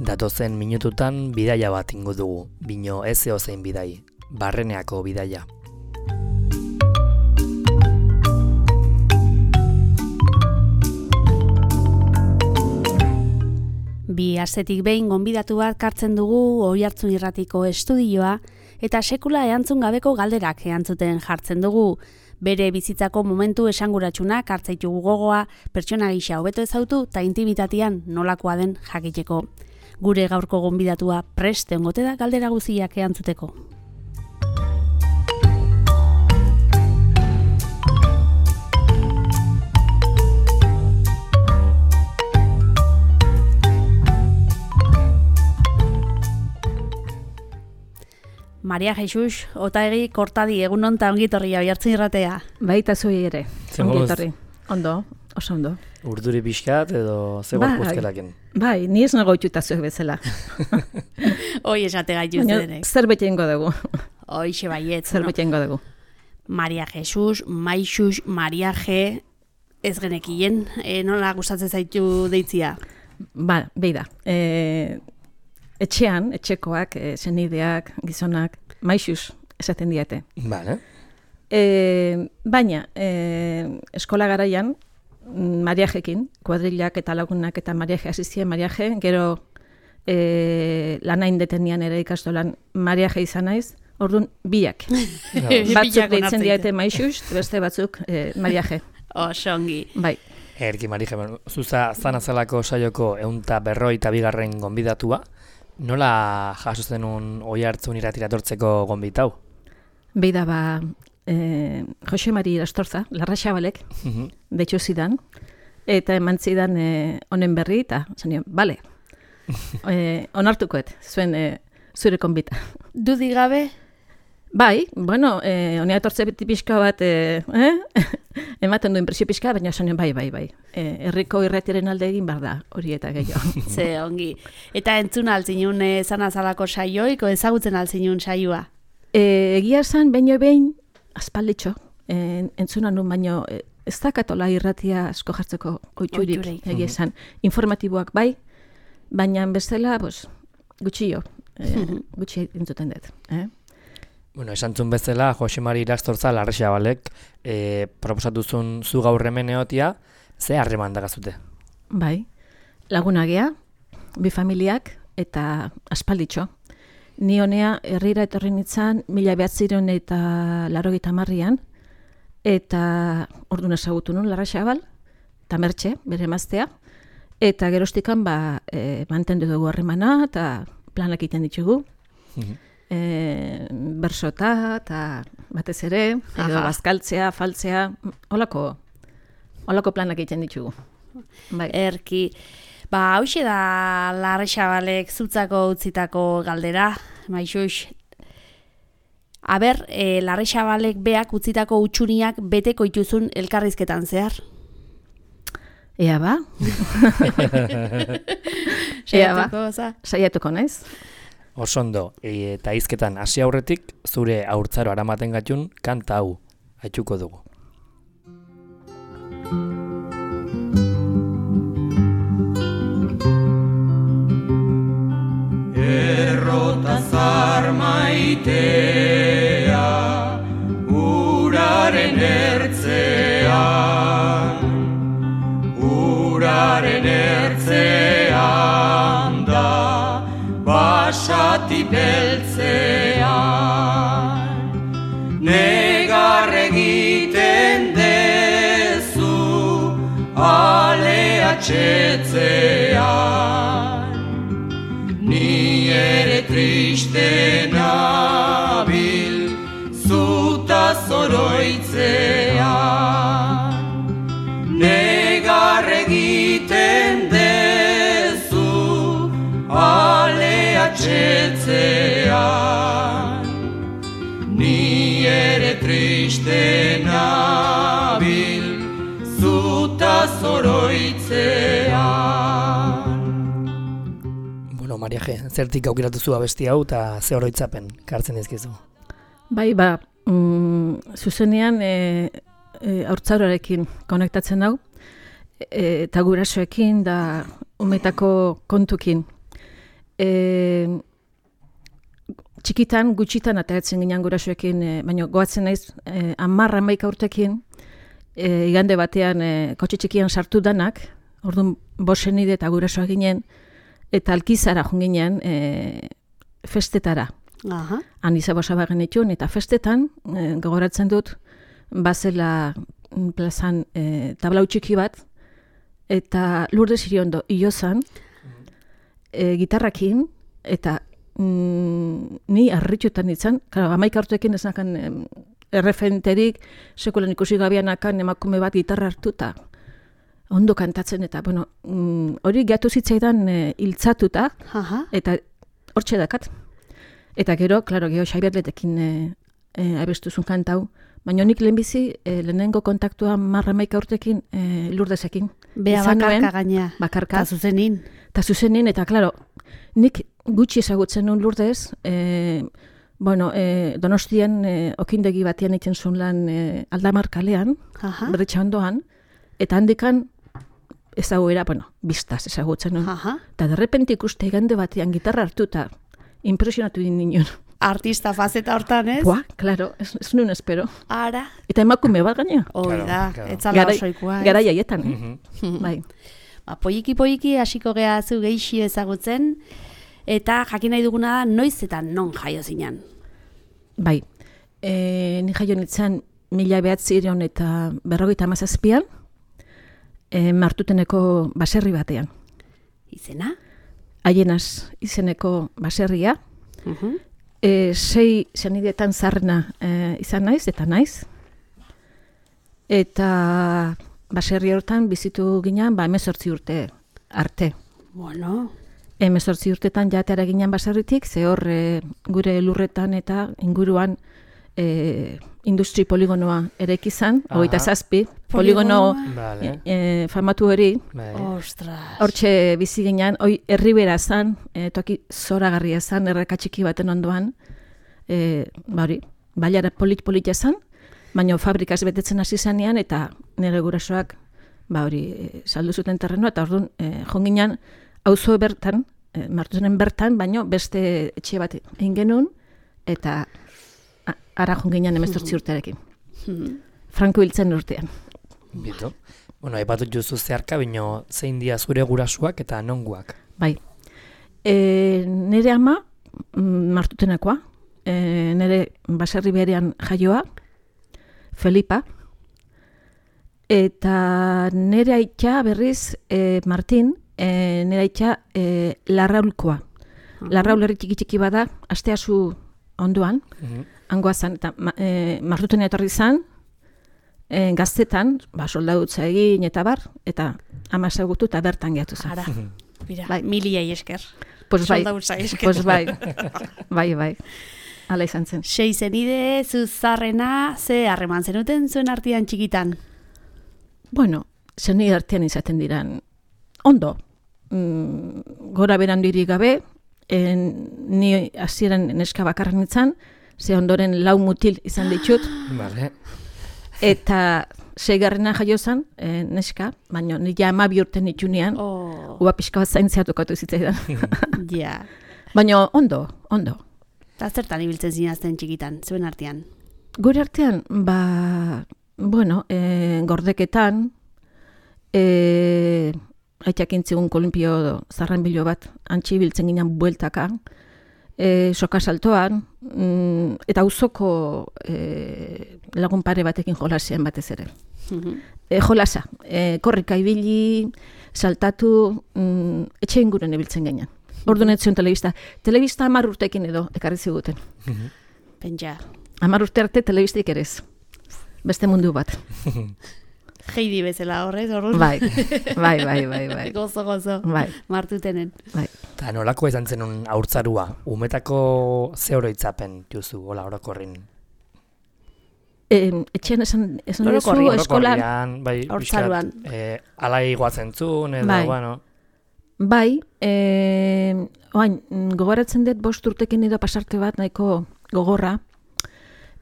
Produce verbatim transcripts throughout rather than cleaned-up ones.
Datozen minututan bidaia bat ingo dugu, bino ez eozein bidai, Barreneako bidaia. Bi astetik behin gonbidatu bat kartzen dugu Oihartzun Irratiko estudioa eta sekula erantzun gabeko galderak erantzuten jartzen dugu. Bere bizitzako momentu esanguratsunak hartzaitugu gogoa, pertsona gisa hobeto ezautu eta intimitatean nolakoa den jakiteko. Gure gaurko gonbidatua prest egongo da galdera guztiak erantzuteko. Maria Jesus, Otaegi, Kortadi, egunon eta ongitorria Oihartzun Irratea. Baita zuei ere, ongitorri. Ondo, oso ondo. Urduri pixkat edo ze gorpuzkelaken? Bai, ni ez nago itxuta zuek bezala. Hoi esate gaitu zedenek. Zerbait egingo dugu. Hoixe baiet. Zerbait egingo dugu. Maria Jesus, Maixus, Maria G, ez genekien, e, nola gustatzen zaitu deitzia? Ba, beida. E, etxean, etxekoak, e, senideak, gizonak, Maixus esaten diate. Vale. E, baina, e, eskola garaian, Mariajekin, kuadrilak eta lagunak eta Mariaje asizien Mariaje, gero e, lanain detenian ere ikastolan Mariaje izan naiz, orduan biak. Batzuk deitzen diate Maixus, beste batzuk e, Mariaje. Oso ongi. Bai. Erki Mariaje, zuza zanazalako saioko eunta berroi eta bigarren gonbidatua, nola jaso zenun Oihartzun Irratira etortzeko gonbitau? Beida ba, eh, Jose Mari Irastorza, Larra Xabalek, uh-huh. Deitxo zidan, eta eman zidan eh, honen berri, eta zenio, bale, eh, onartukoet, zuen eh, zure konbita. Dudi gabe? Bai, bueno, eh, honea etortze beti pixka bat, eh, eh? ematen du impresio pixka, baina zenio, bai, bai, bai. Eh, herriko irratiaren alde egin behar da, hori eta gehiago. Ze, ongi. Eta entzun altzinun eh, zanazalako saioiko, ezagutzen altzinun saioa? E, egia esan, baino behin, aspalditxo, e, entzuna nun baino, e, ez dakatola irratia asko jartzeko oitxurik, egia esan. Informatiboak bai, baina bezala, pues, gutxio, e, gutxi entzuten dut. Eh? Bueno, esantzun bezala, Jose Mari Irastorza, Larra Xabalek, e, proposatuzun zu gaur hemen egotia, ze harreman dagazute? Bai, lagunagea, bi familiak, eta aspalditxo. Ni honea herrira etorri nintzen mila behatziron eta laurogeita hamarrean, eta orduan ezagutu nun Larra Xabal, eta Mertxe, bere emaztea, eta gerostikan ba, e, mantendu dugu harremana, eta planak egiten ditugu. Mm-hmm. E, bersota, eta batez ere, edo bazkaltzea, faltzea, holako, holako planak egiten ditugu. Bai. Erki, ba, hauxe da Larra Xabalek zutzako utzitako galdera, Maixus. Aber, e, Larra Xabalek beak utzitako utxuniak beteko ituzun elkarrizketan zehar? Ea ba? Ea ba? Saiatuko naiz? Osondo, e, eta hizketan hasi aurretik, zure haurtzaro aramaten gatun kanta hau, haitxuko dugu. Errotazar maitea, uraren ertzean, uraren ertzean da, basati beltzean, negar egiten dezu, ale atxetzean, ni ere triste nabil, zuta zoroitzean, negar egiten dezu, ale atxetzean, ni ere triste nabil, zuta zoroitzean. Bueno, Maria G, zertik aukiratu zu abesti hau eta ze oroitzapen kartzen dizkizu? Bai, ba, mm, zuzenean e, e, haurtzaroarekin konektatzen hau, e, eta gurasoekin da umetako kontukin. E, txikitan, gutxitan ateratzen ginen gurasoekin, e, baina goatzen naiz, e, hamar hamaika urtekin, e, igande batean e, kotxe txikian sartu danak, orduan bosenide eta gurasoak ginen, eta alkizara joan ginen e, festetara. Aha. Han izabosa genituen, eta festetan, e, gogoratzen dut, bazela plazan e, tablau txiki bat, eta Lourdes Iriondo iozan, e, gitarrakin, eta mm, ni harritxutan nintzen, karo, hamaika urteekin ez nakan em, erreferenterik, sekulan ikusi gabianakan emakume bat gitarra hartuta, ondo kantatzen, eta bueno, mm, hori gehatu zitzaidan e, iltzatuta, Aha. eta hortxe dakat. Eta gero, klaro, geho Xaibierletekin e, e, abestuzun kantau, baina nik lehenbizi e, lehenengo kontaktua marra maika urtekin e, Lourdesekin. Bea Izan bakarka nuen, gaina. Bakarka. Ta zuzenin. Eta zuzenin, eta klaro, nik gutxi ezagutzen nuen Lourdes, e, bueno, e, Donostian e, okindegi batean egiten zuen lan e, Aldamar kalean, Aha. berretxa ondoan, eta handikan ezaguera, bueno, biztaz ezagutzen nuen. Aha. Eta derrepente ikuste igande batean gitarra hartuta, impresionatu din ninen. Artista fazeta hortan, ez? Bua, klaro, ez, ez nuen espero. Ara. Eta emakume bat gaina. Hoi Claro, da, claro. etzala Garai- osoikoa. ez? Garai haietan, eh? Mhm. Bai. Ba, poiki poiki hasiko gea zu geixi ezagutzen, eta jakin nahi duguna da noiz eta non jaio zinan. Bai. E, ni jaio nintzen mila behatzireun eta berrogeita hamazazpian, e, Martuteneko baserri batean. Izena? Haienaz izeneko baserria, Uh-huh. e, sei zenidetan zarrena e, izan naiz, eta naiz. Eta baserri hortan bizitu ginen, ba, emezortzi urte arte. Bueno, Hemezortzi urtetan jateara ginen baserritik, ze hor e, gure lurretan eta inguruan e, industri poligonoa eraiki izan, Aha. hogeita zazpi, poligono Vale. e, famatu hori, Bai. ostras. hortxe bizi ginen, hoi herribera zan, e, toki zoragarria zan, erreka txiki baten ondoan, e, ba hori, bailara polit-polita zan, baina fabrikaz betetzen hasi zanean, eta nire gurasoak, ba hori, e, saldu zuten terrenoa, eta orduan, e, jonginen, auzo bertan, e, Martutenen bertan, baino beste etxe bat egin genuen, eta a- ara jonginen emezortzi urtearekin. Mhm. Franko hiltzen urtean. Bitu. Bueno, aipatut juzu zeharka, bino zein dia zure gurasuak eta nonguak. Bai. E, nire ama, mm, Martutenekoa, e, nire baserri berean jaioa, Felipa, eta nire aitza berriz, e, Martin, e, nire aitza e, Larraulkoa. Larraul herri txiki txiki bada, asteazu ondoan, Mhm. hangoa zan, eta ma, e, Martutena etorri zan, e, gaztetan, ba, soldadutza egin eta bar, eta ama ezagutu eta bertan gehatu zen. Ara, mira, Bai. miliei esker. Pues bai, Soldaduza esker. pues bai, bai, bai, hala izan zen. Sei zenide, zuzarrena, ze harreman zenuten zuen artean txikitan? Bueno, zeni artean izaten diran, ondo, mm, gora berandurik gabe, en, ni hasieran neska bakarra nintzen, ze ondoren lau mutil izan ditut, Vale. eta seigarrena jaio zen, e, neska, baina nila hamabi urte nitunean, Oh, ua pixka bat zaintzea tokatu zitzaidan. ja. Baina ondo, ondo. Eta zertan ibiltzen zinazten txikitan, zuen artean? Gure artean, ba, bueno, e, gordeketan, e, aitak intzigun kolumpio zarren bilo bat, antxi biltzen ginen bueltaka, e, soka saltoan, mm, eta auzoko e, lagun pare batekin jolasian batez ere. Mhm. E, jolasa, e, korrika ibili, saltatu, mm, etxe inguren ibiltzen ginen. Orduan ez zion telebista. Telebista hamar urtekin edo ekarri ziguten. Pentsa. Hamar urte arte telebistik ere ez. Beste mundu bat. Heidi bezala horrez, horrez? Bai, bai, bai, bai, bai. Gozo, gozo. Bai, Martutenen. bai. Eta nolako izan zenun haurtzarua? Umetako ze oroitzapen juzu, hola orokorrin? E, etxean esan, esan duzu, Orokorrian. eskolan, Orokorrian, bai, Haurtzaroan. pixkat, eh, alai guatzen zuen, edo, Bai. bueno, bai, e, oain, mm, gogoratzen dut bost urtekin edo pasarte bat nahiko gogorra.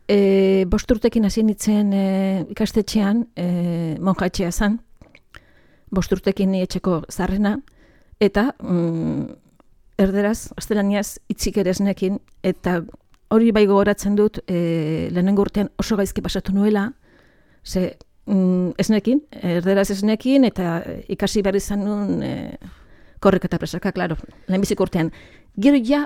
E, bost urtekin hasi nintzen e, ikastetxean, e, monjatxea zan, bost urtekin ni etxeko zarrena, eta mm, erderaz, gaztelaniaz hitzik ere esnekin, eta hori bai gogoratzen dut, e, lehenengo urtean oso gaizki pasatu nuela, ze mm, esnekin, erderaz esnekin, eta ikasi behar izan nuen e, korrek eta presaka, klaro, lehenbiziko urtean. Gero ja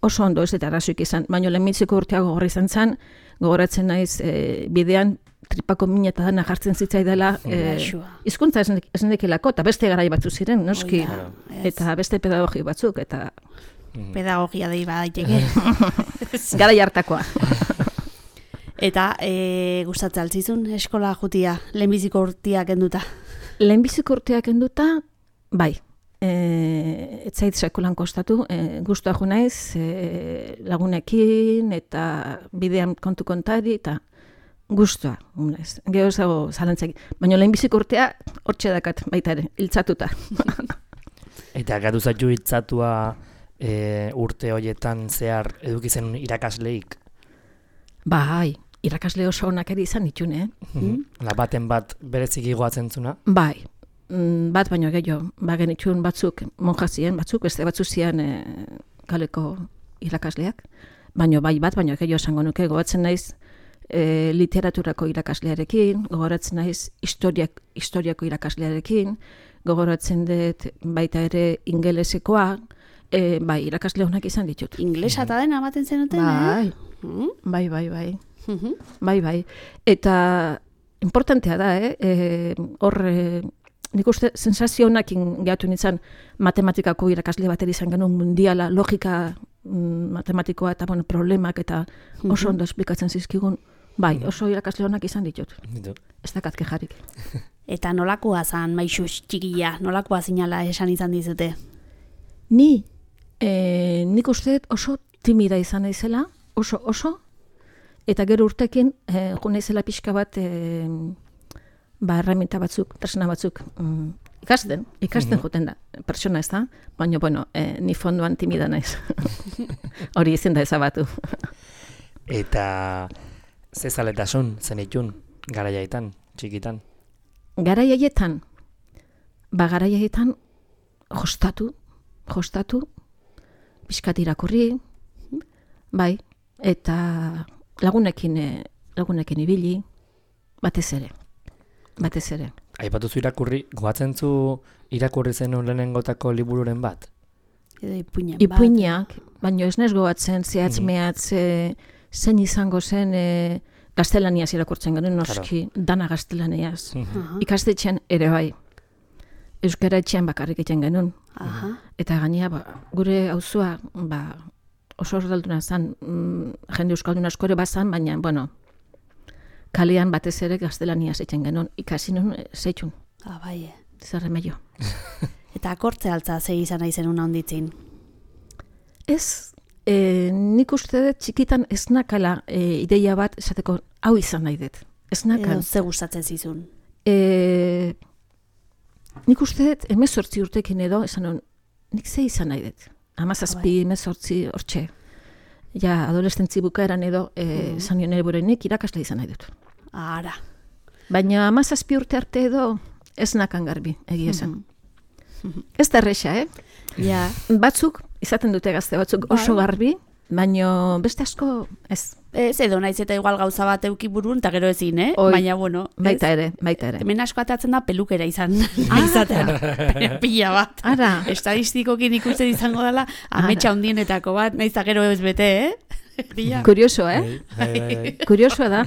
oso ondo ez eta arazoik izan, baina lehenbiziko urtea gogorra izan zen, gogoratzen naiz e, bidean tripako mina eta dana jartzen zitzaidala, e, hizkuntza ez nekilako, eta beste garai batzu ziren, noski, Oida, eta beste pedagogi batzuk, eta pedagogia dei badaiteke. garai hartakoa. Eta e, gustatzen altzizun eskola jutia, lehenbiziko urtia kenduta. Lehenbiziko urteak enduta, bai, e, ez zait sekulan kostatu, e, guztua jo naiz, e, lagunekin, eta bidean kontu kontari, eta guztua, naiz. Gero ez dago zalantzak. Baina lehenbiziko urtea, hortxe dakat, baita ere, hiltzatuta. Eta gatu zaitu hitzatua e, urte horietan zehar eduki zen irakasleik? Bai, irakasle oso onak ere izan ditune, eh? Mm. La baten bat bereziki goatzen zuna? Bai, mm, bat baino gehiago, ba genitxun batzuk monjazien, batzuk, beste batzu zian e, kaleko irakasleak, baino bai bat baino gehiago esango nuke, gogoratzen naiz e, literaturako irakaslearekin, gogoratzen naiz historiak, historiako irakaslearekin, gogoratzen dut baita ere ingelesekoa, e, bai, irakasle honak izan ditut. Inglesa eta dena ematen zenuten, Bai, eh? Mm? bai, bai, bai. Mhm. Bai, bai. Eta importantea da, eh? E, hor, e, nik uste sensazio honakin gehatu nintzen matematikako irakasle bat ere izan genuen mundiala, logika mm, matematikoa eta bueno, problemak eta oso ondo esplikatzen zizkigun. Bai, oso irakasle honak izan ditut. Ditu. Ez dakat kejarik. Eta nolakoa zan maixu txikia, nolakoa zinala esan izan dizute? Ni, e, nik uste dut oso timida izan naizela, oso, oso, eta gero urtekin, e, jo naizela pixka bat, e, ba, herramienta batzuk, tresna batzuk, mm, ikasten, ikasten Mhm. joten da, pertsona ez da, baina, bueno, e, ni fondoan timida naiz. Hori ezin da ezabatu. Eta ze zaletasun zenitun garaiaitan, txikitan? Garai haietan, ba, garai haietan, jostatu, jostatu, pixkat irakurri, bai, eta lagunekin, e, lagunekin ibili, batez ere, batez ere. Aipatu zu irakurri, goatzen zu irakurri zenun lehenengotako libururen bat? Edo ipuinen bat. Ipuinak, baina ez nez goatzen, zehatz Mhm. mehatz, e, zen izango zen, e, gaztelaniaz irakurtzen genuen, noski, dana gaztelaniaz. Aha, Ikastetxean ere bai, euskara etxean bakarrik egiten genuen. aha. Eta gainea, ba, gure auzua, ba, oso erdalduna zen, mm, jende euskaldun asko ere bazan, baina, bueno, kalean batez ere gaztelaniaz egiten genuen, ikasi nuen zeitun, Ah, bai, eh. zer remedio. Eta akortze altza ze izan nahi zenun handitzin. Ez, e, nik uste dut txikitan ez nakala e, ideia bat esateko hau izan nahi dut. Ez nakan. Edo ze gustatzen zizun. E, nik uste dut emezortzi urtekin edo, esan nuen, nik ze izan nahi dut. Hamazazpi, emezortzi, hortxe. Ja, adolescentzi bukaeran edo, e, esan nion ere burenik irakasle izan nahi dut. Ara. Baina hamazazpi urte arte edo, ez nakan garbi, egia esan. Ez da erresa, eh? Ja. Batzuk, izaten dute gazte batzuk oso Bai. garbi, baina beste asko ez. Ez edo naiz eta igual gauza bat euki burun, eta gero ezin, eh? Oi, Baina, bueno. ez? Baita ere, baita ere. Hemen asko atatzen da pelukera izan, izatea. Pila bat. Ara, Estadistikokin ikusten izango dela, ametsa hundienetako bat, naiz eta gero ez bete, eh? Pila. kurioso, eh? Bai, bai, bai. Kuriosoa da.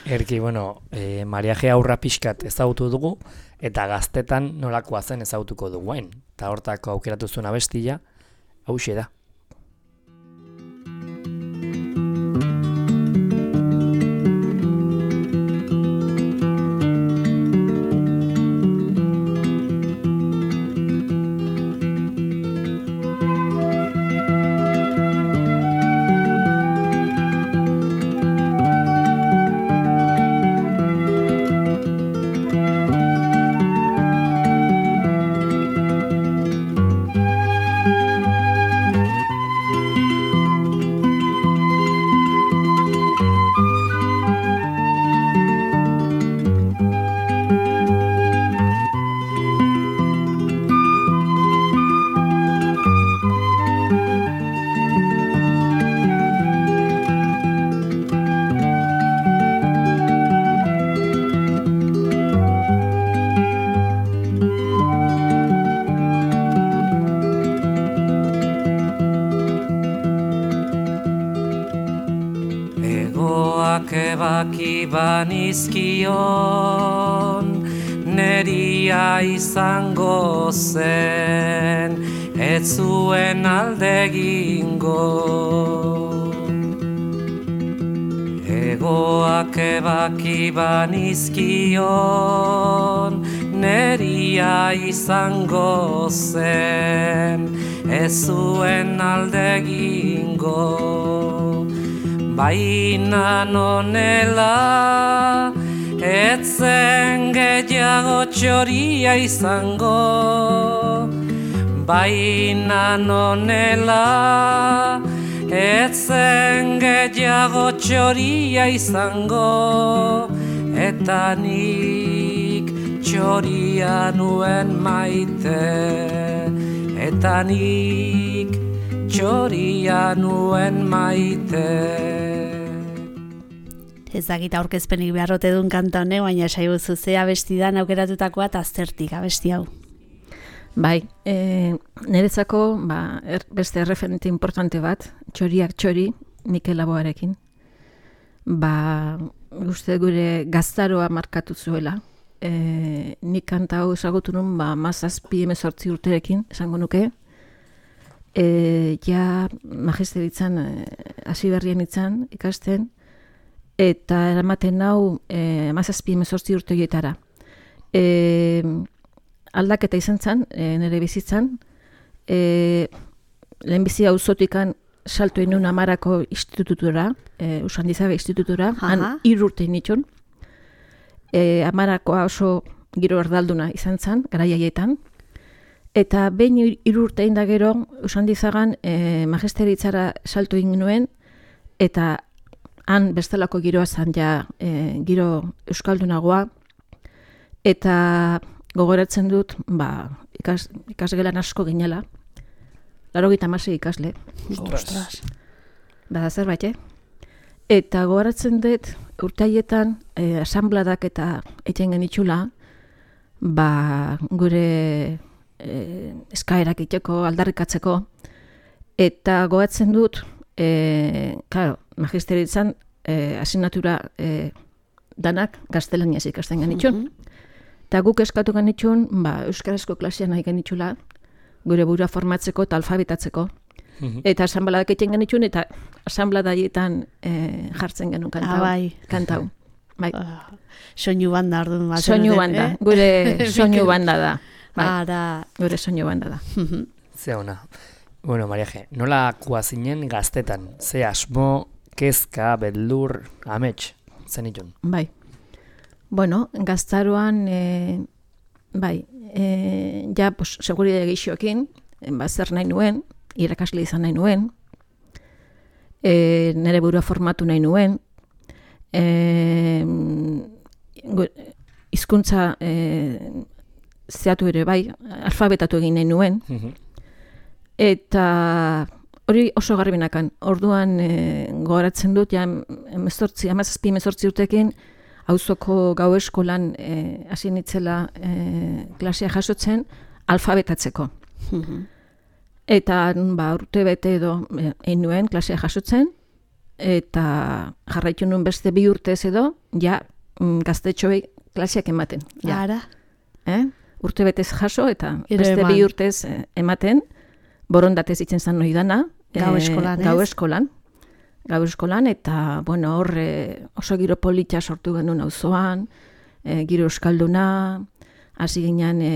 Erki, bueno, e, mariaje aurra pixkat ezagutu dugu, eta gaztetan nolakoa zen ezagutuko duguain. Eta hortako aukeratu zuen abestia, hauxe da. ebaki banizkion, neria izango zen, ez zuen alde egingo. Egoak ebaki banizkion, neria izango zen, ez zuen alde egingo. Baina nonela, ez zen gehiago txoria izango. Baina nonela, ez zen gehiago txoria izango. Eta nik txoria nuen maite, eta nik txoria nuen maite. Ez dakit aurkezpenik beharrote duen kanta hone, baina saibu zuzea abestidan aukeratutakoa eta aztertik abesti hau. Bai, e, niretzako ba, er, beste erreferente importante bat, txoriak txori, Mikel Laboarekin. Ba, uste gure gaztaroa markatu zuela. E, nik kanta hau ezagutu nun, ba, mazazpi emezortzi urterekin, esango nuke. E, ja magisteritzan hasi berrien itzan ikasten, eta eramaten hau e, mazazpi emezortzi urtegietara. E, aldaketa izan zen, e, nire bizitzan, e, lehenbizi auzotikan salto inun amarako institututura, e, Usandizabe institututura, han hiru urte nitxun. E, amarakoa oso giro erdalduna izan zen, garaiaietan. Eta behin hiru urte inda gero, Usandizagan e, magisteritzara salto egin nuen, eta han bestelako giroa zen ja e, giro euskaldunagoa, eta gogoratzen dut, ba, ikas, ikasgelan asko ginela, laurogeita hamasei ikasle. Ostras. Bada zerbait, eh? Eta gogoratzen dut, urteaietan, e, asambladak eta egiten genitxula, ba, gure e, eskaerak iteko, aldarrikatzeko, eta gogoratzen dut, e, claro, magisteritzan, e, asignatura e, danak gaztelaniaz ikasten genitxun. Mm-hmm. Eta guk eskatu genitxun, ba, euskarazko klasean nahi genitxula, gure burua formatzeko eta alfabetatzeko. Mm-hmm. Eta asanbladak egiten genitxun, eta asanbladaitan e, jartzen genuen kantau. Ah, bai. Kantau. Bai. Uh, soinu banda orduan bat. Soinu banda, eh? Gure soinu banda da. Bai. Ara. Gure soinu banda da. Ze ona. Bueno, Mariaje, nola kuazinen gaztetan? Ze asmo, kezka, beldur, amets, zenitun? Bai. Bueno, gaztaroan, e, bai, e, ja, pues, seguridade gehixoekin, ba, zer nahi nuen, irakasle izan nahi nuen, e, nire burua formatu nahi nuen, e, hizkuntza e, zehatu ere bai, alfabetatu egin nahi nuen, eta hori oso garbinakan. Orduan e, gogoratzen dut, ja, emezortzi, amazazpi emezortzi urtekin, auzoko gau eskolan hasi e, nitzela e, klasea jasotzen alfabetatzeko. Eta ba, urte bete edo egin nuen klasea jasotzen, eta jarraitu nuen beste bi urtez edo, ja gaztetxoei klaseak ematen. Ja. Ara. Eh? Urte betez jaso eta beste eman. Bi urtez ematen, borondatez itzen zan noi dana. Gau eskolan, e, Gau eskolan. Gau eskolan, eta, bueno, horre oso giro polita sortu genuen auzoan, e, giro euskalduna, hasi ginen e,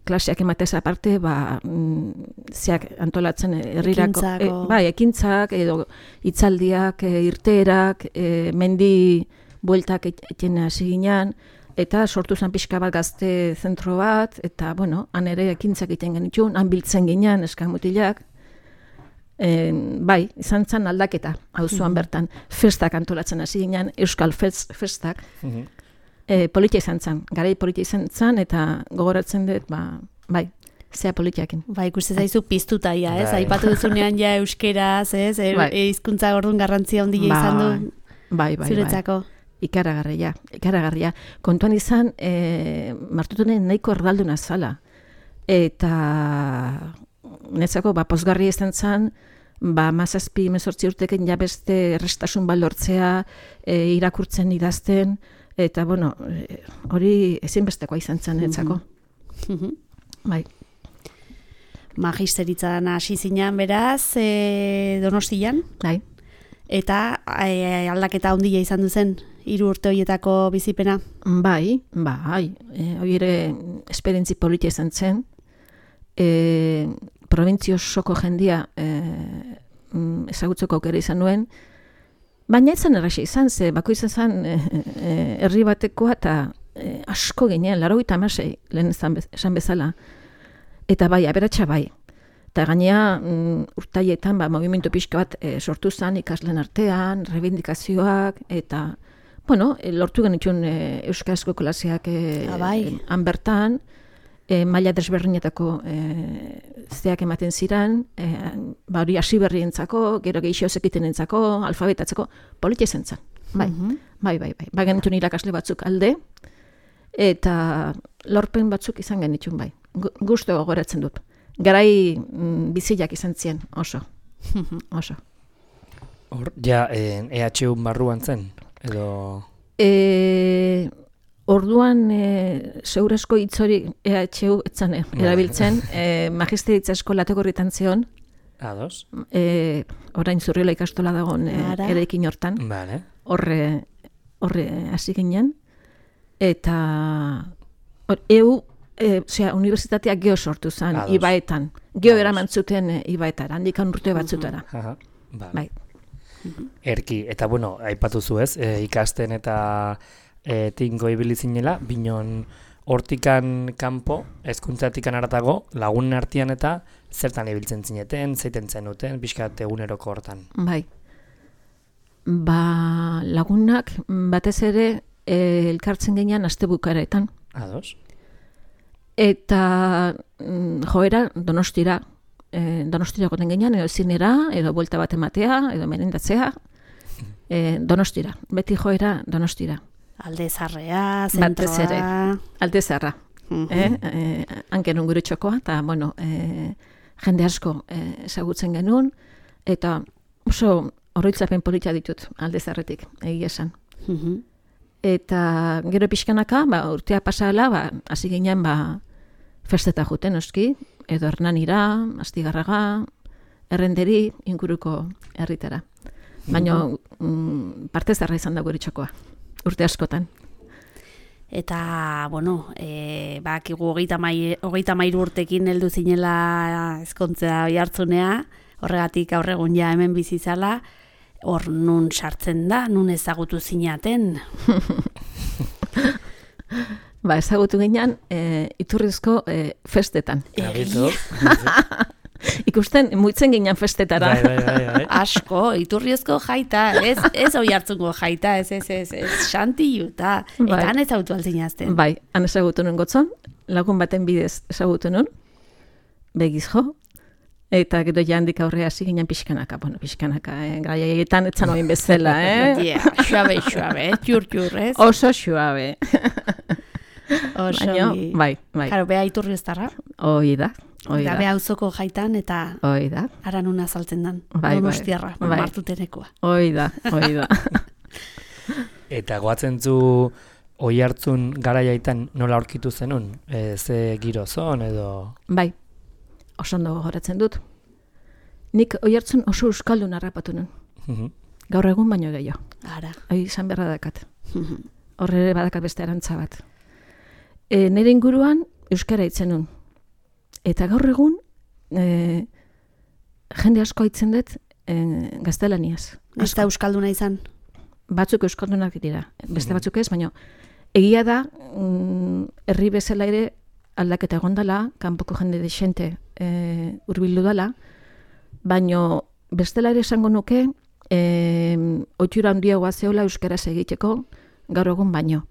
klaseak ematez aparte, ba, mm, zeak antolatzen herrirako, e, bai, ekintzak, edo hitzaldiak, e, irteerak, e, mendi bueltak egiten hasi ginen, eta sortu zen pixka bat gazte zentro bat, eta, bueno, han ere ekintzak egiten genitxun, han biltzen ginen eskamutilak, E, bai, izan zen aldaketa, auzoan mm-hmm. bertan, festak antolatzen hasi ginen, euskal fest, festak, mm-hmm. e, politia izan zen, garai politia izan zen, eta gogoratzen dut, ba, bai, zea politiakin. Ba, ikusten zaizu piztuta, ja, ez? Aipatu duzunean ja euskeraz, ez? E, bai. e, hizkuntza orduan garrantzia handia izan du bai, bai, zuretzako. Bai. Ikaragarria, ikaragarria. Kontuan izan, e, martutunen nahiko erdalduna zala, eta netzako, ba, pozgarri izan zen, ba, mazazpi, mezortzi urteken ja beste errestasun balortzea, e, irakurtzen idazten, eta, bueno, e, hori ezinbestekoa izan zen etzako. Mhm. Bai. Magisteritzan hasi zinan beraz, e, Donostian, Bai. eta e, aldaketa handia izan duzen hiru urte horietako bizipena. Bai, bai, e, hori ere esperientzi politia izan zen, e, provintzio osoko jendia e, ezagutzeko aukera izan nuen, baina izan erraxa izan, ze bako izan zen e, e, herri batekoa eta e, asko ginen, laurogeita hamasei lehen esan, bez, esan bezala, eta bai, aberatsa bai. Eta gainea mm, urtaietan ba, movimentu pixka bat e, sortu zen ikasleen artean, reivindikazioak, eta bueno, e, lortu genituen e, euskarazko klaseak e, Ah, bai. e, han bertan, e, maila desberdinetako e, zeak ematen ziren, e, ba, hori hasi berrientzako, gero gehixo zekitenentzako, alfabetatzeko, politia zen zen. Bai, Mhm. bai, bai, bai. Ba genituen irakasle batzuk alde, eta lorpen batzuk izan genituen bai. Gu- Gustu gogoratzen dut. Garai mm, biziak izan zien, oso. Oso. Hor, ja, eh, E H U barruan zen, edo... E, orduan e, segurazko hitz hori E H U etzan eh, erabiltzen, e, magisteritza eskolako horretan zeon, Ados? e, orain Zurriola ikastola dagoen e, Ara. eraikin hortan, Vale. horre horre hasi ginen, eta hor, EU, e, osea, unibertsitateak geo sortu zen, Ados. Ibaetan. Geo Ados. eraman zuten e, Ibaetara, handikan urte batzutara. Aha. Vale. Bai. Erki, eta bueno, aipatu zu ez, e, ikasten eta e, tinko ibili zinela, binon hortikan kanpo, hezkuntzatikan haratago, lagunen artean eta zertan ibiltzen zineten, zeiten zenuten, pixkat eguneroko hortan. Bai. Ba, lagunak batez ere e, elkartzen ginean astebukaretan. Ados? Eta mm, joera Donostira, e, Donostira goten ginean, edo zinera, edo buelta bat ematea, edo merendatzea, e, Donostira, beti joera Donostira. Alde zarrea, Batez ere. zentroa... Alde zarra, Mhm. eh? e, hanken gure txokoa, eta bueno, e, jende asko e, ezagutzen genuen, eta oso oroitzapen politia ditut alde zarretik, egia esan. Mhm. Eta gero pixkanaka, ba, urtea pasala, ba, hasi ginen ba, festeta juten, oski, edo Hernanira, Astigarraga, Errenderi, inguruko herritara. Baina mm, parte zarra izan da gure txokoa, urte askotan. Eta, bueno, e, bakigu hogeita mai- hogeita hamairu urtekin heldu zinela ezkontzea Oiartzunea, horregatik gaur egun ja hemen bizi zala, hor nun sartzen da, nun ezagutu zinaten. Ba, ezagutu ginen e, iturrizko e, festetan. Abitu. Ikusten, muitzen ginen festetara. Bai, bai, bai, bai. Asko, iturriozko jaita, ez, ez Oiartzungo jaita, ez, ez, ez, ez, Xantilu, eta Bai. eta han ezagutu alzinazten. Bai, han ezagutu nuen gotzon, lagun baten bidez ezagutu nuen, begiz jo, eta gero ja handik aurrea hasi ginen pixkanaka, bueno, pixkanaka, eh? Garaietan etzan oin bezala, eh? Ja, suabe, suabe, txur, txur, ez? Oso suabe. Oso Baina, ongi. bai, bai, Karo, beha iturrioztarra, hoi da, hoi eta da, beha auzoko jaitan, eta hoi da, ara nun azaltzen dan. Bai, bai, Donostiarra, bai. martutenekoa. hoi da, hoi da. Eta goatzen zu Oiartzun garaiaitan nola aurkitu zenun? E, ze giro zon edo... Bai, oso ondo gogoratzen dut. Nik Oiartzun oso euskaldun harrapatu nuen, Mhm. gaur egun baino gehiago. Ara. Hoi izan berra dakat. Horre ere badakat beste arantza bat. E, nire inguruan euskara hitzen nun. Eta gaur egun e, jende asko hitzen dut e, gaztelaniaz. Ez da euskalduna izan. Batzuk euskaldunak dira, beste batzuk ez, baina egia da mm, herri bezala ere aldaketa egondala, kanpoko jende desente e, hurbildu dala, baina bestela ere esango nuke e, ohitura handiagoa zeola euskaraz egiteko gaur egun baino.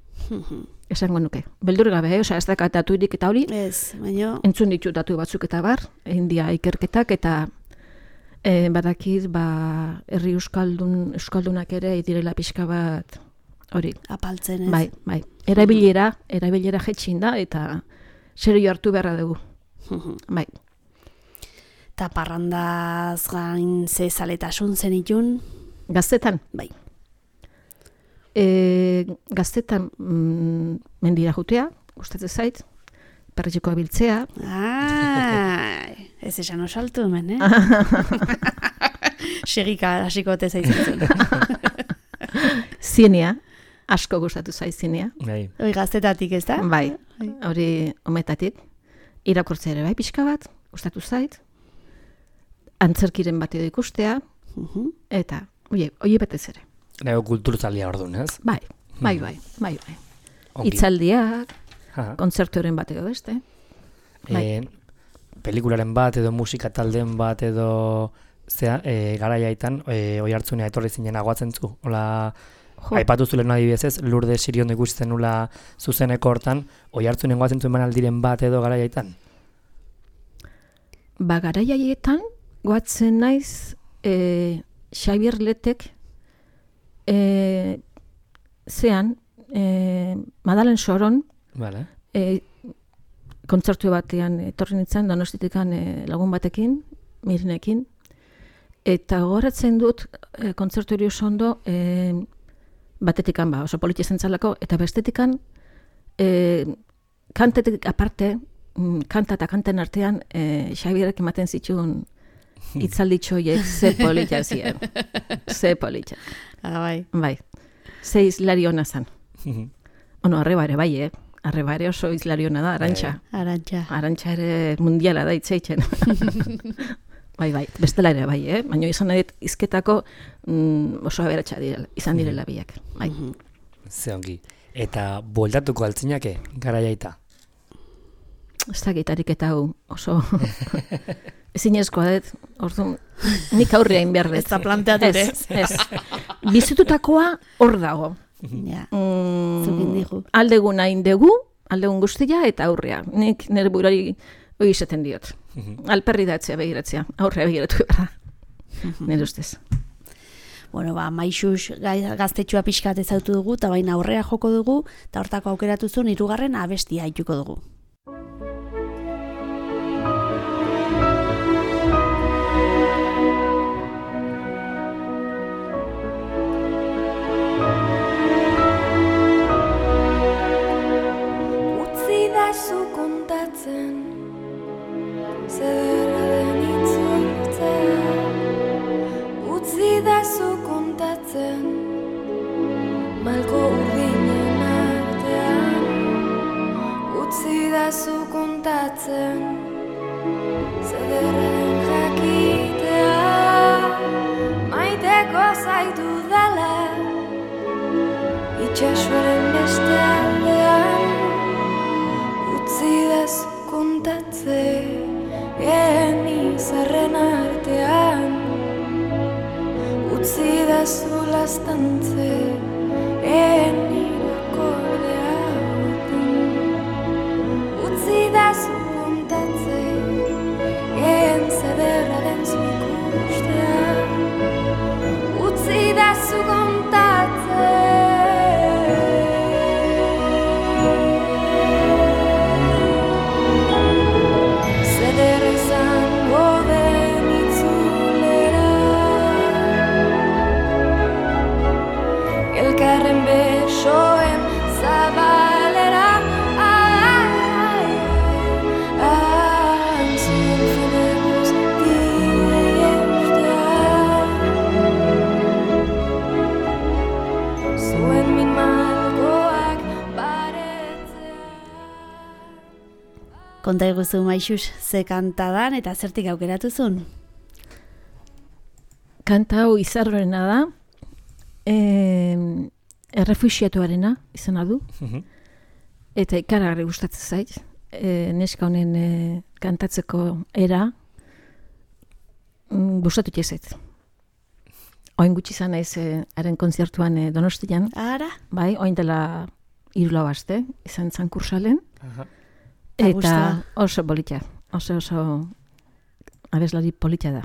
Esango nuke. Beldur gabe, eh? Osea, ez dakat daturik eta hori, Ez, baina... entzun ditu datu batzuk eta bar, India ikerketak eta e, badakit ba, herri euskaldun, euskaldunak ere direla pixka bat hori. Apaltzen, ez? Bai, bai. Erabilera, erabilera jetxin da eta serio hartu beharra dugu. Bai. Eta parrandaz gain ze zaletasun zenitun? Gaztetan? Bai. E, gaztetan mm, mendira jutea, gustatzen zait, perretxekoa biltzea. Ai, ez esan oso altu hemen, eh? Segika hasiko ote zaizitzen. Zienea, asko gustatu zait zienea. Bai. Hoi gaztetatik, ez da? Bai, hori ometatik. Irakurtzea ere bai pixka bat, gustatu zait. Antzerkiren bat edo ikustea, Mhm. eta, oie, oie betez ere. Nago kulturzalia orduan, ez? Bai, bai, bai, bai, bai. Ongi. Itzaldiak, Aha. kontzerturen bat edo beste. Bai. E, pelikularen bat edo musika taldeen bat edo zea, e, garaiaitan e, oi hartzunea etorri zinen agoatzen zu. Ola, Jo, aipatu zulen adibidez ez, Lurde Siriondo ikusten nula zuzeneko hortan, oi hartzunen goatzen zuen aldiren bat edo garaiaitan? ba, garaiaietan, goatzen naiz, e, Xabier Letek, e, zean, e, Madalen Soron, Vale. e, kontzertu batean etorri nintzen, Donostitikan e, lagun batekin, Mirinekin, eta gogoratzen dut e, kontzertu hori oso ondo, e, batetikan ba, oso politia zentzalako, eta bestetikan e, kantetik aparte, mm, kanta eta kanten artean, e, Xabierek ematen zituen itzalditxo horiek ze politia ziren. Ze politia. Ah, bai. Bai. Ze izlari hona zan. Ono, arreba ere bai, eh? Arreba ere oso izlari hona da, Arantxa. Arantxa. Arantxa ere mundiala da itzeitzen. Bai, bai, bestela ere bai, eh? Baina izan nahi dit izketako mm, oso aberatsa direla, izan direla biak. Bai. Ze ongi. Eta bueltatuko altzinake, garaiaita. Ez da gitarik eta hau oso ezinezkoa dut, orduan nik aurrean behar dut. Ez da planteatu ere. Ez, ez. Bizitutakoa hor dago. Ja, Mm, zukin digu. aldegun hain dugu, aldegun guztia eta aurrea. Nik nire burari hori izaten diot. Alperri datzea begiratzea, aurrea begiratu behar da. Nire ustez. Bueno, ba, Maixus gai- gaztetxoa pixkat ezautu dugu, eta baina aurrea joko dugu, eta hortako aukeratu zuen hirugarren abestia haituko dugu. Utzi da zu kontatzen, zederra den itzultzea. Utzi da zu kontatzen, malko urdinen artean. Utzi da zu kontatzen, zederra den jakitea. Maiteko zaitu dela, itxasoaren beste aldean. Utzi da zu kontatzen, genizarren artean. Utzi da zu lastantze, enirako deagoten. Utzi da zu kontatze, en zederra den zu ikustea. Utzi da zu kontatze. Zederra izango den itzulera. Elkarren besoen zabalera. Antzien fede guztiei eustea. Zuen min malkoak baretzea. Konta iguzu, Maixus, ze kantadan eta zertik aukeratu zuen? Kanta hau izarrorena da, eh, errefuxiatuarena izena du, eta ikaragarri gustatzen zait. E, neska honen e, kantatzeko era mm, gustatu jezet. Oin gutxi izan naiz e, haren kontzertuan e, Donostian, Ara? bai, oin dela hiru lau aste, izan zan kursalen, Aha. Eta eta gustua. oso polita, oso oso abeslari polita da.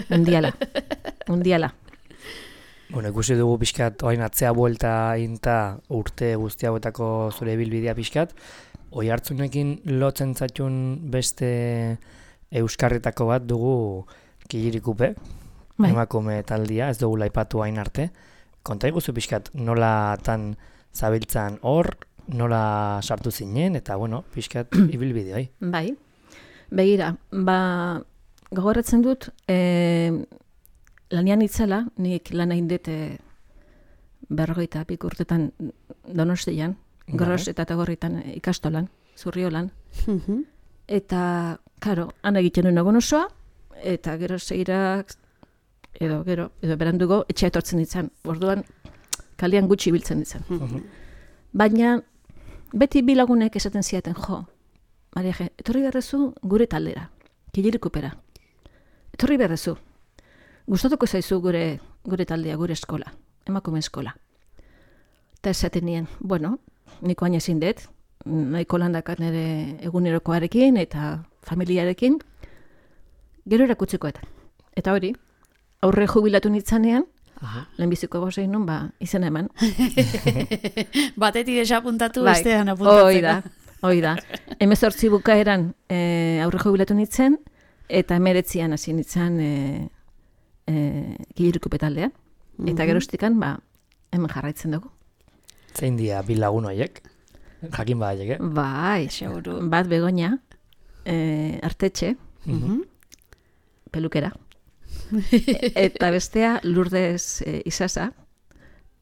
Mundiala, mundiala. Bueno, ikusi dugu pixkat, oain atzea buelta inta urte guzti hauetako zure bilbidea pixkat. Oi hartzunekin lotzen zaitun beste euskarritako bat dugu Killirikupe, Bai. emakume taldia, ez dugu laipatu hain arte. Konta iguzu pixkat nola tan zabiltzan hor, nola sartu zinen, eta bueno, pixkat ibilbide hoi. Bai, begira, ba, gogoratzen dut, e, lanian itzela, nik lan egin dut e, berrogeita pik urtetan Donostian, Gros eta Tagorritan ikastolan, Zurriolan, Mhm. eta, karo, han egiten duen egun osoa, eta gero segirak, edo, gero, edo berandugo, etxea etortzen ditzen, orduan, kalian gutxi biltzen ditzen. Baina, beti bi lagunek esaten ziaten, jo, Maria Je, etorri berrezu gure taldera, Killirikupera. Etorri berrezu. Gustatuko zaizu gure gure taldea, gure eskola, emakume eskola. Eta esaten nien, bueno, niko hain ezin dut, nahiko landakat nire egunerokoarekin eta familiarekin, gero erakutzeko eta. Eta hori, aurre jubilatu nitzanean, lehenbiziko bosein nun, ba, izena eman. Batetik desapuntatu, Bai, bestean apuntatzeko. Hoi da, hoi da. Hemezortzi bukaeran e, aurre jubilatu nitzen, eta emeretzian hasi nitzan e, e, Killirikupe taldea. Eta gerostikan, ba, hemen jarraitzen dugu. Zein dia bi lagun horiek? Jakin badaiek, eh? Bai, Seguru. bat Begoña, e, Artetxe, pelukera. E- eta bestea Lourdes e, Isasa,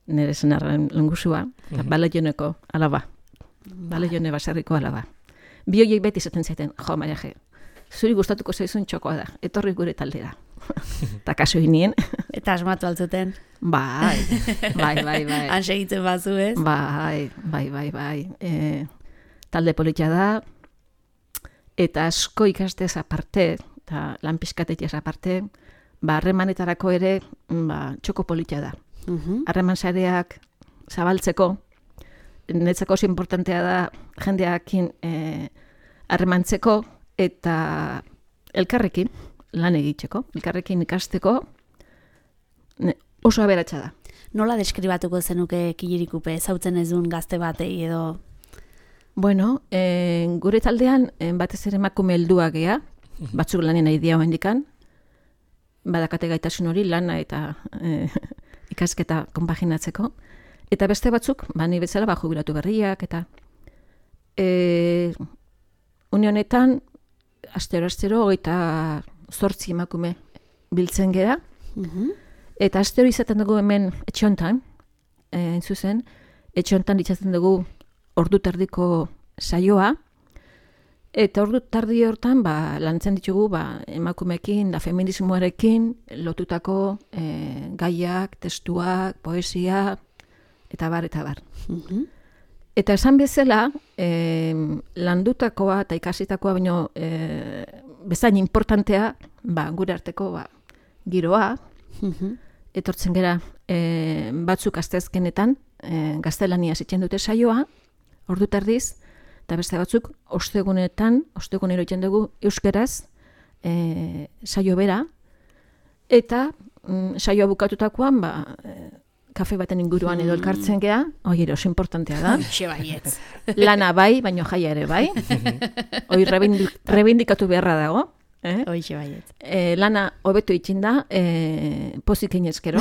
nire senarren lengusua, eta Balaioneko alaba. Balaione baserriko alaba. Bi horiek beti izaten zaiten, jo, Maria Je, zuri gustatuko zaizun txokoa da, etorri gure taldera. Eta kaso inien, Eta asmatu altzuten. bai, bai, bai, bai. Han segitzen bazu, ez? Bai, bai, bai, bai. E, talde politia da, eta asko ikastez aparte, eta lan pizkatetez aparte, ba, harremanetarako ere, ba, txoko politia da. Mhm. Harreman sareak zabaltzeko, netzako oso importantea da jendeakin e, harremantzeko eta elkarrekin lan egiteko, elkarrekin ikasteko, ne, oso aberatsa da. Nola deskribatuko zenuke Killirikupe, ezautzen ez duen gazte batei edo... Bueno, e, gure taldean e, batez ere emakume helduak gea, batzuk lanen nahi dia hoendikan, badakate gaitasun hori lana eta e, ikasketa konpaginatzeko, eta beste batzuk, ba, ni bezala, ba, jubilatu berriak, eta e, une honetan, astero-astero, hogeita zortzi emakume biltzen gera, Mhm. eta astero izaten dugu hemen etxe hontan, e, zuzen, etxe hontan itzaten dugu ordu tardiko saioa, eta ordu tardi hortan ba, lantzen ditugu ba, emakumeekin da feminismoarekin lotutako e, gaiak, testuak, poesia, eta bar, eta bar. Mhm. Eta esan bezala, e, landutakoa eta ikasitakoa baino e, bezain importantea, ba, gure arteko ba, giroa, Mhm. etortzen gera e, batzuk asteazkenetan e, gaztelania zitzen dute saioa, ordu tardiz, eta beste batzuk ostegunetan, ostegunero egiten dugu euskeraz e, saio bera, eta mm, saioa bukatutakoan, ba, e, kafe baten inguruan edo elkartzen gea, hoi ere oso importantea da. Hoxe baietz. Lana bai, baino jaia ere bai. Hoi rebindik, rebindikatu beharra dago. Eh? Hoxe baietz. E, lana hobetu itxin da, e, pozik inezkero.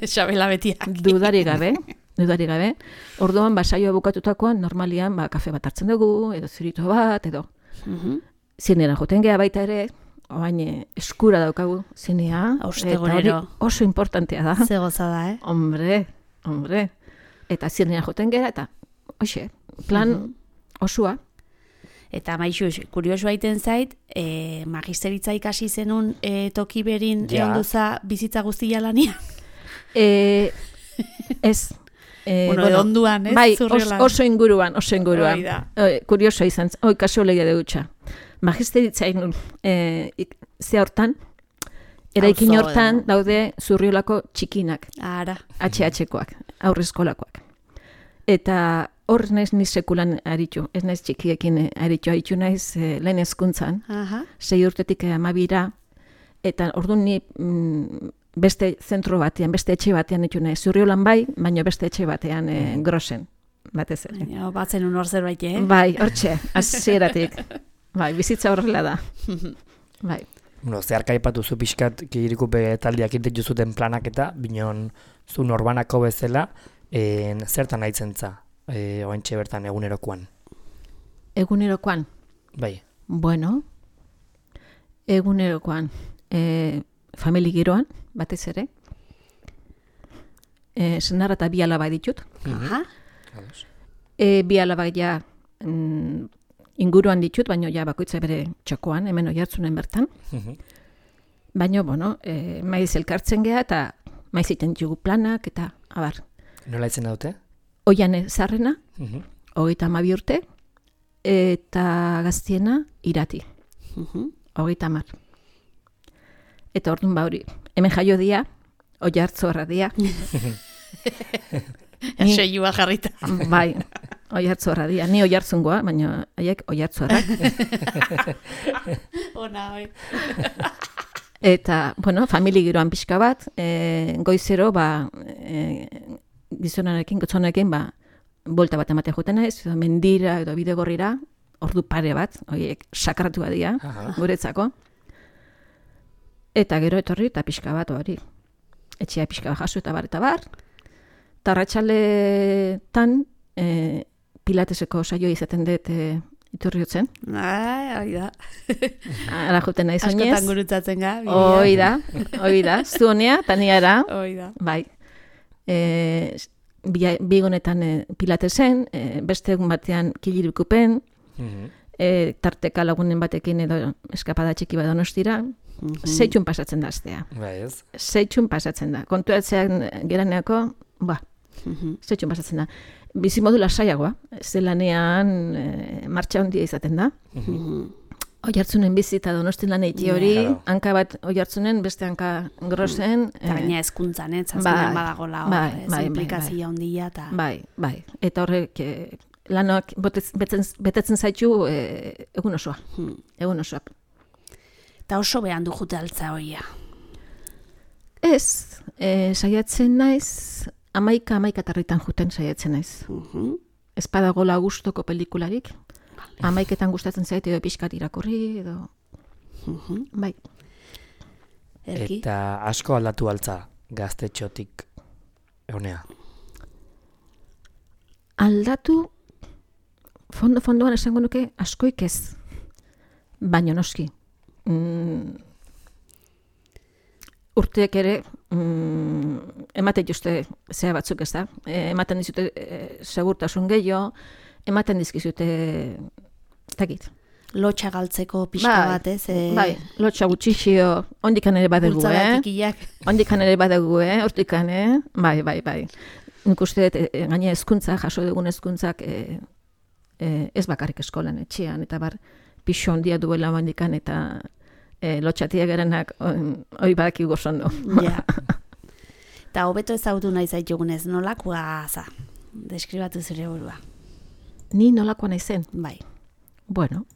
Xabela betiak. Dudari gabe, dudari gabe. Orduan, ba, saioa bukatutakoan, normalian, ba, kafe bat hartzen dugu, edo zurito bat, edo Mhm. zinera joten geha baita ere, oain eh, eskura daukagu zinea, Ostegunero. eta hori oso importantea da. Ze gozada, eh? Hombre, hombre. Eta zinera joten gera, eta, hoxe, plan osua. Eta maixu, kurioso aiten zait, e, magisteritza ikasi zenun e, toki berin Ja. egon duza bizitza guztia lanian. E, ez. E, Bueno, edo onduan, ez? Bai, os, Zurriolan. oso inguruan, oso inguruan. Hori da. E, kurioso izan, oi, kaso legia dutxa. Magisteritza inun, e, ik, ze hortan, eraikin Auzo hortan dago. daude Zurriolako txikinak, Ara. H H-koak, aurreskolakoak. Eta hor naiz ni sekulan aritu, ez naiz txikiekin eh, aritu, aritu naiz eh, lehen hezkuntzan, Aha. sei urtetik amabira, eta orduan ni mm, beste zentro batean, beste etxe batean ditu naiz, Zurriolan bai, baina beste etxe batean eh, Grosen, batez ere. Baina, batzen un hor zerbait, eh? Bai, hortxe, hasieratik. Bai, bizitza horrela da. Bai. Bueno, zeharka aipatu zu pixkat Kikiriku taldeak egiten zuten planak eta binon zu norbanako bezala en, zertan haitzen za e, oentxe bertan egunerokoan. Egunerokoan? Bai. Bueno, egunerokoan e, famili giroan, batez ere. E, senarra eta bi alaba ditut. Aha. E, bi alaba ja mm, inguruan ditut, baina ja bakoitza bere txokoan, hemen Oiartzunen bertan. Baina, bueno, e, maiz elkartzen geha eta maiz iten jugu planak eta, abar. Nola itzen daute? Oiane zarrena, Uh-huh. hogeita hamabi urte, eta gaztiena irati, hogeita hamar. Eta orduan ba hori, hemen jaio dia, Oiartzorra dia. Seiua jarrita. Bai, Oiartzorra dia. Ni Oiartzungoa, baina haiek Oiartzorrak. Ona, oi. Eta, bueno, famili giroan pixka bat, e, goizero, ba, e, gizonarekin, gotzonarekin, ba, bolta bat ematea joten naiz, edo mendira edo bidegorrira, ordu pare bat, horiek sakratu badia, guretzako. Eta gero etorri eta pixka bat hori. Etxea pixka bat jaso eta bar eta bar. Tarratxaletan e, pilateseko saio izaten dut e, iturriotzen. Ai, hori da. Ara joten naiz oinez. Askotan gurutzatzen ga. Hoi da, hoi da. Zu honea, taniara. Hoi da. Bai. E, Bigonetan e, pilatesen, e, beste egun batean Kilirikupen, Uh-huh. e, tarteka lagunen batekin edo eskapada txiki bat donostira, zeitxun pasatzen da astea. Bai ez. Zeitxun pasatzen da. Kontuatzean geraneako, ba, zeitxun pasatzen da. Bizimodu lasaiagoa, zelanean e, martxa handia izaten da. Oiartzunen bizi eta Donostin lan eiti hori, Claro. hanka bat Oiartzunen, beste hanka grosen. Eta gaina ezkuntzan, eh? Zazpinan bai, badagola hor, bai, ez bai, bai, implikazioa handia eta... Bai, bai. Eta horrek e, lanoak botez- betzen, betetzen zaitu e, egun osoa. Egun osoa. Eta oso behan du jute altza hoia. Ez, e, saiatzen naiz, amaika, amaika tarritan juten saiatzen naiz. Ez badagola gustoko pelikularik, amaiketan gustatzen zait edo pixkat irakurri, edo... Bai. Erki? Eta asko aldatu altza gaztetxotik egunea. Aldatu, fondo-fondoan esango nuke askoik ez, baino noski. Mm, urteek ere mm, ematen juste zea batzuk ez da. E, ematen dizute e, segurtasun gehiago, ematen dizkizute takit. Lotxa galtzeko pixka bat, ez? E... Bai, lotxa gutxixio, ondikan ere badegu, Bultzada eh? txikiak. Ondikan ere badegu, eh? Hortikan, eh? Bai, bai, bai. Nik uste dut, e, gaina hezkuntza, jaso dugun hezkuntzak e, e, ez bakarrik eskolan, etxean, eta bar, pixo handia duela ondikan, eta e, lotxatia gerenak hoi badaki gozondo. Ja. Eta hobeto ezagutu nahi zaitugunez, nolakoa za? Deskribatu zure burua. Ni nolakoa naizen? Bai. Bueno,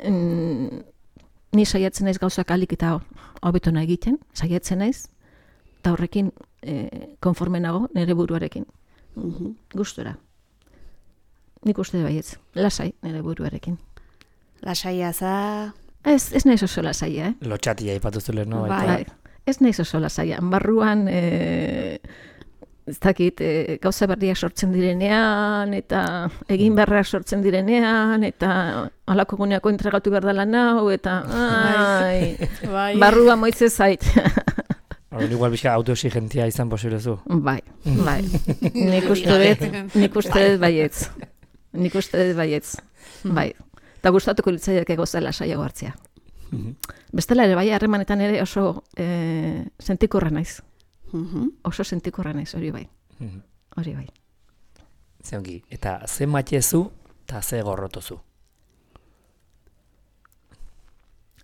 mm, ni saiatzen naiz gauzak alik eta hobeto nahi egiten, saiatzen naiz, eta horrekin e, konforme nago nire buruarekin. Gustura. Nik uste baietz, lasai nire buruarekin. Lasaia za... Ez, ez naiz oso lasaia, eh? Lotxatia ipatu zule, no? Bai. Baita. Bai, ez naiz oso lasaia. Barruan, e, ez dakit, e, gauza berriak sortzen direnean, eta egin beharrak sortzen direnean, eta halako guneako entregatu behar dela nau, eta ai, Bai. barrua moitze zait. Orduan igual bizka autoexigentia izan posible zu. Bai, bai. Nik uste dut, nik uste dut baietz. Nik uste dut baietz. Bai. Eta gustatuko litzaiak gauza lasaiago hartzea. Bestela ere, bai, harremanetan ere oso e, sentikorra naiz. Oso sentikorra naiz, hori bai. Hori bai. Zeongi, eta ze matxezu eta ze gorrotozu.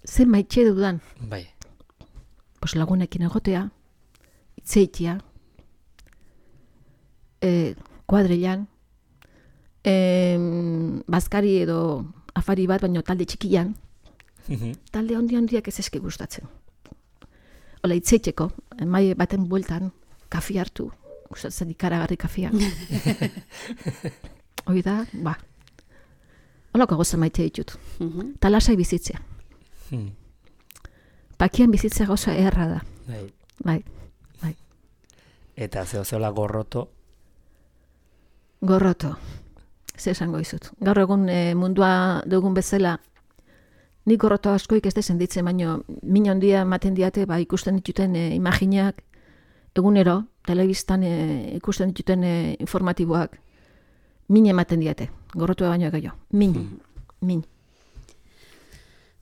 Ze maitxe dudan, Bai. pos lagunekin egotea, itzeitia, e, kuadrilan, e, bazkari edo afari bat, baino talde txikian, talde handi handiak ez eski gustatzen. Ola, itzeiteko, mai baten bueltan, kafi hartu, gustatzen ikaragarri kafia. Hoi da, ba. Olako goza maite ditut. Ta lasai bizitzea. Hmm. Pakian bizitza gauza erra da. Bai. Bai, bai. Eta zeo zeola gorroto. Gorroto. Ze esango izut. Gaur egun e, mundua dugun bezala, nik gorroto askoik ez da senditzen, baino min handia ematen diate, ba, ikusten dituten e, imaginak, egunero, telebistan e, ikusten dituten e, informatiboak, min ematen diate. Gorrotua baino gehiago. Min. Hmm. Min.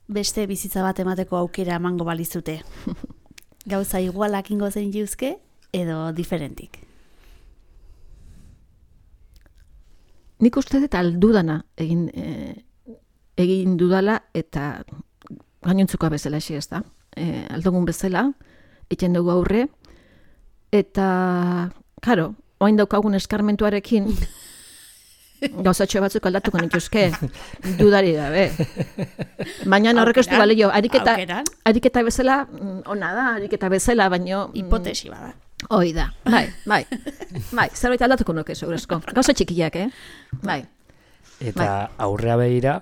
Beste bizitza bat emateko aukera emango balizute. Gauza igualak ingo zen juzke edo diferentik. Nik uste dut aldudana egin, e, egin dudala eta gainontzukoa bezala esi ez da. E, aldogun bezala, egin dugu aurre, eta, karo, oain daukagun eskarmentuarekin, gauzatxo batzuk aldatuko nituzke, dudari gabe. Baina horrek ez du balio, ariketa, ariketa bezala, ona da, ariketa bezala, baino... Hipotesi bada. Hoi da, bai, bai, bai, zerbait aldatuko nuke, segurezko. Gauza txikiak, eh? Bai. Eta bai. Aurrea behira,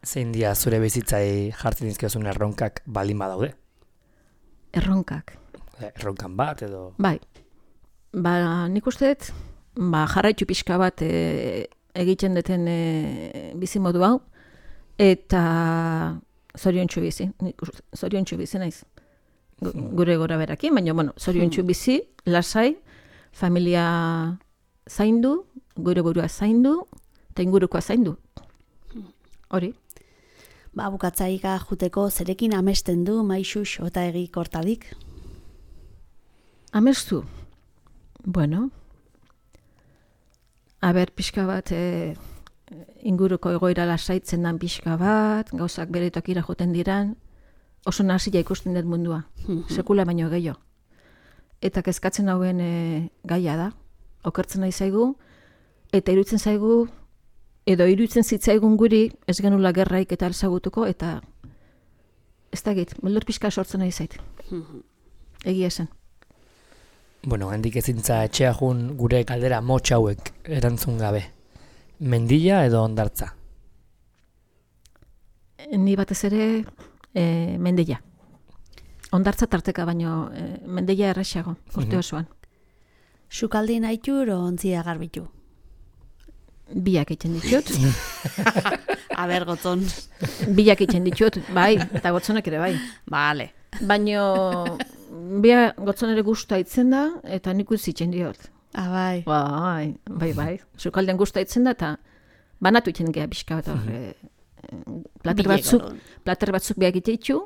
zein dia zure bizitzai jartzen dizkiozun erronkak baldin badaude? Erronkak. Erronkan bat edo... Bai, ba, nik uste dut, ba, jarraitu pixka bat e, egiten duten e, bizimodu hau, eta zoriontsu bizi, nik uste, zoriontsu bizi naiz. Gure gora berakin, baina, bueno, zoriontsu bizi, lasai, familia zaindu, gure burua zaindu, eta ingurukoa zaindu. Hori. Ba, bukatzaika juteko zerekin amesten du Maixux eta egi kortadik? Amestu? Bueno, aber pixka bat e, inguruko egoera lasaitzen dan pixka bat, gauzak bere tokira joten diran, oso nahasia ikusten dut mundua, sekula baino gehiago. Eta kezkatzen hauen e, gaia da, okertzen nahi zaigu, eta iruditzen zaigu, edo iruditzen zitzaigun guri, ez genula gerraik eta alzagutuko, eta ez da git, beldur pixka sortzen nahi zait. Egia esan. Bueno, hendik ezintza etxea jun gure galdera motx hauek erantzun gabe. Mendila edo hondartza? Ni batez ere e, mendila. Hondartza tarteka baino e, mendila erraxago, urte osoan. Sukaldi nahitu ero ontzia garbitu? Biak egiten ditut. Aber, gotzon. Biak egiten ditut, bai, eta gotzonak ere bai. Bale. Baino, bia gotzon ere gusta itzen da, eta nik uzitzen diot. Ah, bai. Bai, bai, bai. Sukalden gusta itzen da, eta banatu itzen geha pixka bat hor. Plater batzuk, plater batzuk biak egiten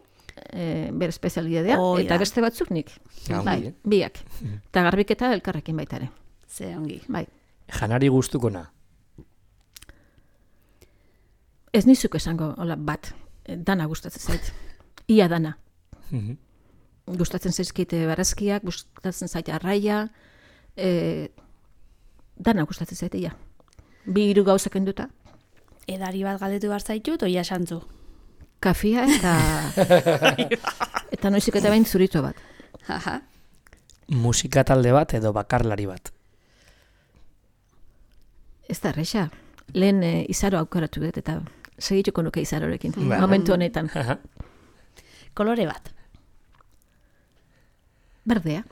e, bere espezialidadea, oh, eta ja. Beste batzuk nik. Ah, bai, biak. Eta garbiketa elkarrekin baita ere. Ze ongi. Bai. Janari gustukona? Ez nizuk esango, hola, bat, dana gustatzen zait. Ia dana. Gustatzen zaizkite barazkiak, gustatzen zait arraia, e, dana gustatzen zait, ia. Bi hiru gauzak enduta. Edari bat galdetu behar zaitut, oia santzu. Kafia eta... eta noizik eta behin zurito bat. Aha. Musika talde bat edo bakarlari bat? Ez da, erresa. Lehen e, izaro aukeratu dut, eta segituko nuke izarorekin, Ba. momentu honetan. Kolore bat. Berdea.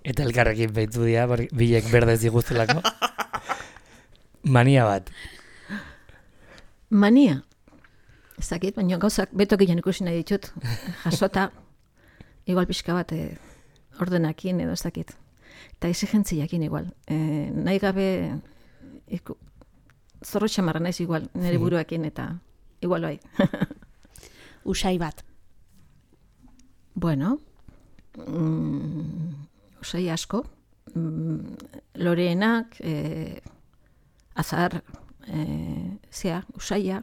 Eta elkarrekin behitu dira, bilek berdez diguztelako. Mania bat. Mania. Ez dakit, baina gauzak beto gehien ikusi nahi ditut. Jasota, igual pixka bat e, ordenakin edo ez dakit. Eta exigentziakin igual. E, nahi gabe iku, zorro txamarra naiz igual, nire buruakin eta igual bai. Usai bat. Bueno, mm, usai asko. Mm, loreenak, e, azar, e, zea, usaia,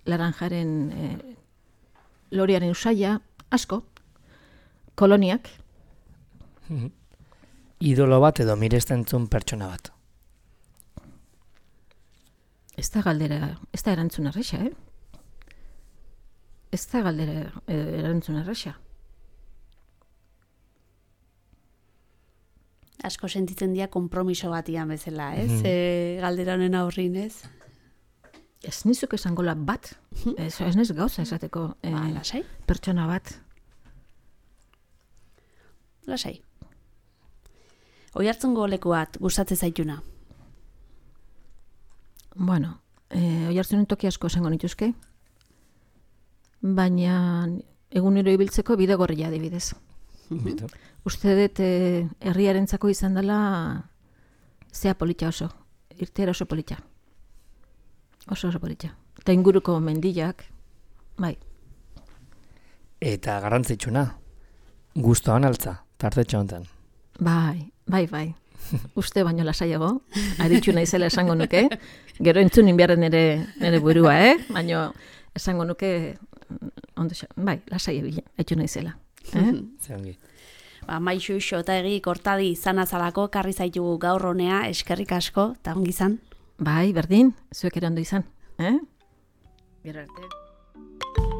laranjaren, e, lorearen usaia, asko. Koloniak. Idolo bat edo mirestentzun pertsona bat? Ez da galdera, ez da erantzun arresa, eh? Ez da galdera eh, erantzun arresa. Asko sentitzen dira konpromiso batian bezala, ez? Mhm. E, galdera honen aurrin, ez? ez nizuk esangola bat, ez, ez niz gauza esateko eh, Ba, lasai, pertsona bat. lasai. Oihartzungo leku bat gustatzen zaituna. Bueno, eh, oihartzunen toki asko esango nituzke, baina egunero ibiltzeko bidegorria adibidez. Bitu. Uste dut eh, herriarentzako izan dela zea polita oso, irteera oso polita. Oso oso polita. Eta inguruko mendiak, bai. Eta garrantzitsuna, gustoan altza, tartetxo honetan. Bai, bai, bai. Uste baino lasaiago, aritxu naizela esango nuke. Gero entzun inbiarren nere, nere burua, eh? Baino esango nuke, ondo, xa- bai, lasai etxu naizela. Eh? Zeongi. Ba, Maixu eta egi kortadi izan azalako karri zaitugu gaur honea, eskerrik asko, eta ongi izan. Bai, berdin, zuek ere ondo izan. Eh? Gero arte.